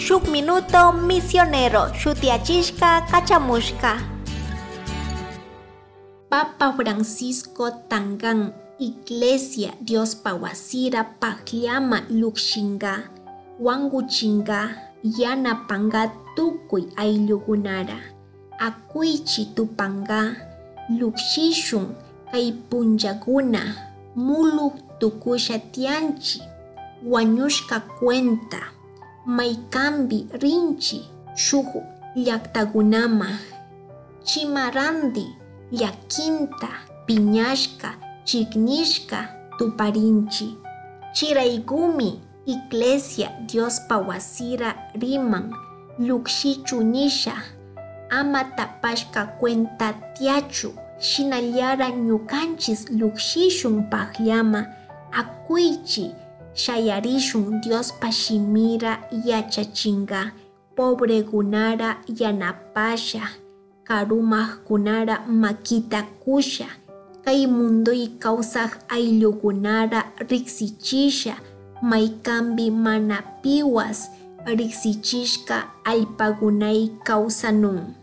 Shuk Minuto Misionero shutiyachishka kachamushka. Papa Francisco tangan Iglesia Diospa wasira pajllama llukshinga, wankuchinga, yanapanga tukuy ayllukunara. Akuychi tupanga, llukshishun kay punllakuna muluk tukusha tiyanchi, wañushka cuenta, maykanpi rinchi shuk llaktakunama, chimarandi llakinta, piñashka, chiknishka tuparinchi. Chiraykumi Iglesia Diospa wasira riman llukshichu nisha, ama tapashka cuenta tiyachu, shinallara ñukanchis llukshishun pajllama, akuychi shayarishun Diospa shimira yachachinga, pobrekunara yanapasha, karumakkunara makita kusha, kay munduy kawsaj ayllukunara riksichisha, maykanpi mana piwas riksichishka allpakunay kawsanun.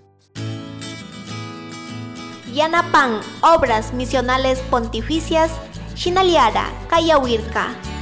Yanapan Obras Misionales Pontificias, shinallara kayawirka.